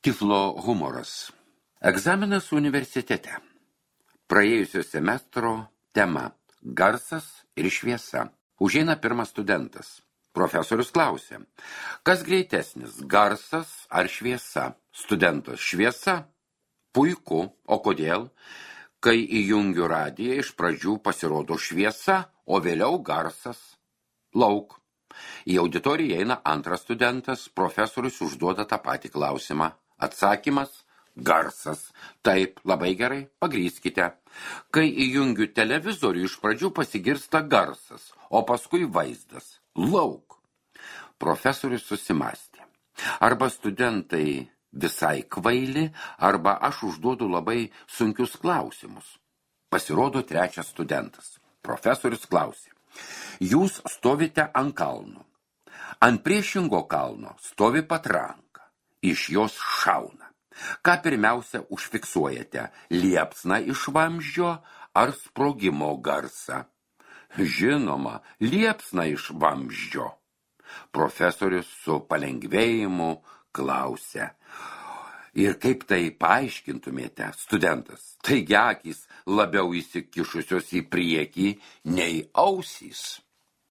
Tiflo humoras. Egzaminas universitete. Praėjusio semestro tema – garsas ir šviesa. Užeina pirmas studentas. Profesorius klausė, kas greitesnis, garsas ar šviesa? Studentas, šviesa? Puiku, o kodėl? Kai įjungiu radiją, iš pradžių pasirodo šviesa, o vėliau garsas. Lauk. Į auditoriją eina antras studentas, profesorius užduoda tą patį klausimą. Atsakymas – garsas. Taip, labai gerai, pagrįskite. Kai įjungiu televizorių, iš pradžių pasigirsta garsas, o paskui vaizdas. Lauk. Profesorius susimastė. Arba studentai visai kvaili, arba aš užduodu labai sunkius klausimus. Pasirodo trečias studentas. Profesorius klausė. Jūs stovite ant kalno. Ant priešingo kalno stovi patranka. Iš jos šauna. Ką pirmiausia užfiksuojate? Liepsną iš vamzdžio ar sprogimo garsą? Žinoma, liepsną iš vamzdžio. Profesorius su palengvėjimu klausė. Ir kaip tai paaiškintumėte, studentas? Taigi akys labiau įsikišusios į priekį nei ausys.